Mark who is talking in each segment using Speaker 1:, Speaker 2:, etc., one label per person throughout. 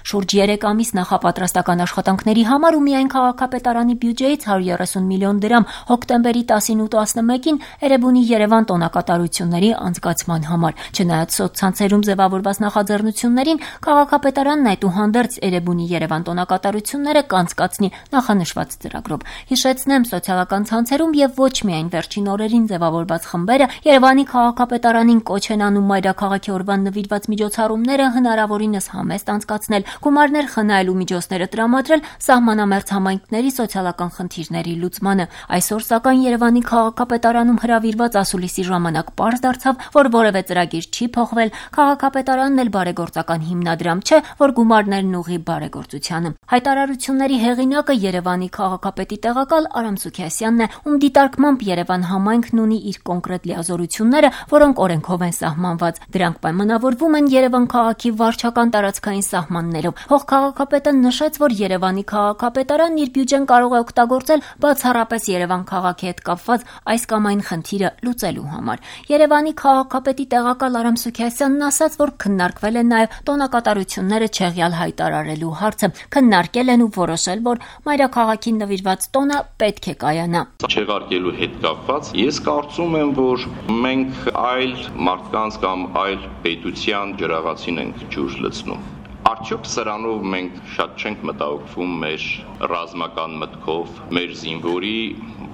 Speaker 1: Շուրջ 3 ամիս նախապատրաստական աշխատանքների համար ու միայն քաղաքապետարանի բյուջեից 130 միլիոն դրամ հոկտեմբերի 10-ին ու 11-ին Էրեբունի Երևան տոնակատարությունների անցկացման համար։ Չնայած սոցցանցերում ձևավորված նախաձեռնություններին, քաղաքապետարանն այդուհանդերձ Էրեբունի Երևան տոնակատարությունները կանցկացնի նախանշված ծրագրով։ Հիշեցնեմ, սոցիալական ցանցերում եւ ոչ միայն վերջին օրերին ձևավորված խմբերը Երևանի քաղաքապետարանին կոչ են անում մայրաքաղաքի օրվան նվիրված միջոցառումները հնարավորինս համեստ անցկացնել, գումարներ խնայել ու միջոցները տրամադրել սահմանամերձ համայնքների սոցիալական խնդիրների լուծմանը։ Այսօր սակայն Երևանի քաղաքապետարանում հրավիրված ասուլիսի ժամանակ պարզ դարձավ, որ որևէ ծրագիր չի փոխվել, քաղաքապետարանն էլ բարեգործական հիմնադրամ չէ, որ գումարներն ուղղի բարեգործությանը։ Հայտարարությունների հեղինակը Երևանի քաղաքապետի տեղակալ Արամ Սուքիասյանն է, ում դիտարկմամբ Երևան համայնքն ունի իր կոնկրետ լիազորությունները, որոնք օրենքով են սահմանված։ Դրանք պայմանավորվում են Երևան քաղաքի վարչական տարածքային սահմաններով։ Փոխքաղաքապետը նշեց, որ Երևանի քաղաքապետարանն իր բյուջեն կարող է օգտագործել բացառապես Երևան քաղաքի հետ կապված այս կամ այն խնդիրը լուծելու համար։ Երևանի քաղաքապետի տեղակալ Արամ Սուքիասյանն ասաց, որ քննարկվել է նաև տոնակատարությունները չեղյալ հայտարարելու հարցը։ Քննարկել են ու որոշել, որ մայրաքաղաքին նվիրված տոնը պետք է կայանա։
Speaker 2: Չեղարկելու հետ կապված ես կարծում եմ, որ մենք այլ մարդկանց կամ այլ պետության ջրաղացին ենք ջուր լցնում։ Արդյոք սրանով մենք շատ չենք մտահոգվում մեր ռազմական մտքով, մեր զինվորի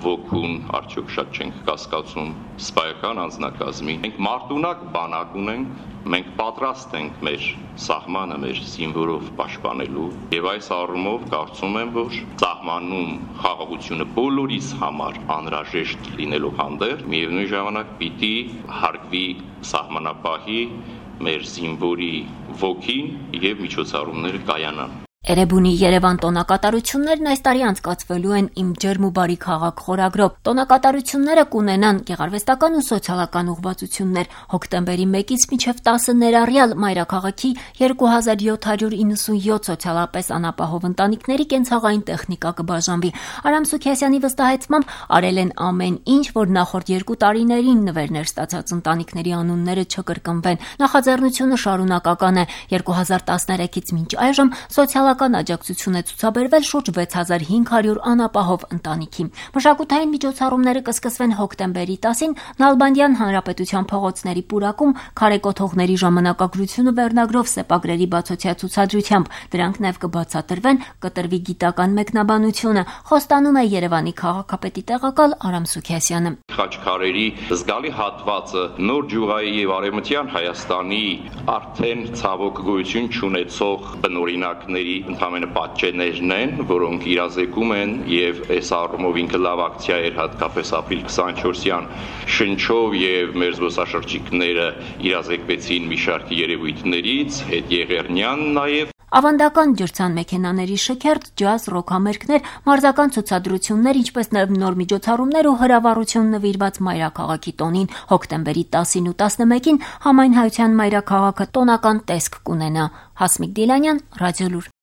Speaker 2: ոգուն արդյոք շատ չենք կասկածում սպայական անձնակազմի։ Մենք մարտունակ բանակ ունենք, մենք պատրաստ ենք մեր սահմանը մեր զինվորով պաշտպանելու եւ այս առումով կարծում եմ, որ սահմանում խաղաղությունը բոլորիս համար անհրաժեշտ լինելու հանդերձ միևնույն ժամանակ պիտի հարգվի սահմանապահի մեր զինվորի ոգին եւ միջոցառումները կայանան։
Speaker 1: Էրեբունի Երևան տոնակատարություններն այս տարի անցկացվելու են «Իմ ջերմ ու բարի քաղաք» խորագրով։ Տոնակատարությունները կունենան գեղարվեստական ու սոցիալական ուղղվածություններ։ Հոկտեմբերի 1-ից մինչև 10 ներառյալ մայրաքաղաքի 2797 սոցիալապես անապահով ընտանիքների կենցաղային տեխնիկա կբաժանվի։ Արամ Սուքիասյանի վստահեցմամբ արել են ամեն ինչ, որ նախորդ 2 տարիներին նվերներ ստացած ընտանիքների անունները չկրկնվեն։ Նախաձեռնությունը շարունակական է։ 2013-ից մինչ այժմ սոցիալական աջակցություն է ցուցաբերվել շուրջ 6500 անապահով ընտանիքի։ Մշակութային միջոցառումները կսկսվեն հոկտեմբերի 10-ին Նալբանդյան Հանրապետության փողոցների պուրակում քարեկոթողների ժամանակագրությունը վերնագրով սեպագրերի բացօթյա ցուցադրությամբ։ Դրանք նաև կբացատրվեն, կտրվի գիտական մեկնաբանությունը, խոստանում է Երևանի քաղաքապետի տեղակալ Արամ Սուքիասյանը։
Speaker 2: Խաչքարերի զգալի հատվածը նոր ջուղայի եւ արևմտյան Հայաստանի արդեն ցավոք գոյություն չունեցող բնօրինակների ընդհանրապես պատճեններն են, որոնք իրազեկում են եւ այս առումով ինքը լավ ակցիա էր հատկապես ապրիլ 24-յան շնչով եւ մեր զբոսաշրջիկները իրազեկվեցին մի շարք երևույթներից, հետ Եղեռնյան նաեւ
Speaker 1: Ավանդական ջրցան մեքենաների շքերթ, ջազ, ռոք համերգներ, մարզական ցուցադրություններ, ինչպես նաև նոր միջոցառումներ ու հրավառություն նվիրված մայրաքաղաքի տոնին հոկտեմբերի 10-ին ու 11-ին համայն հայության մայրաքաղաքը տոնական տեսք կունենա։ Հասմիկ Դիլանյան, Ռադիոլուր։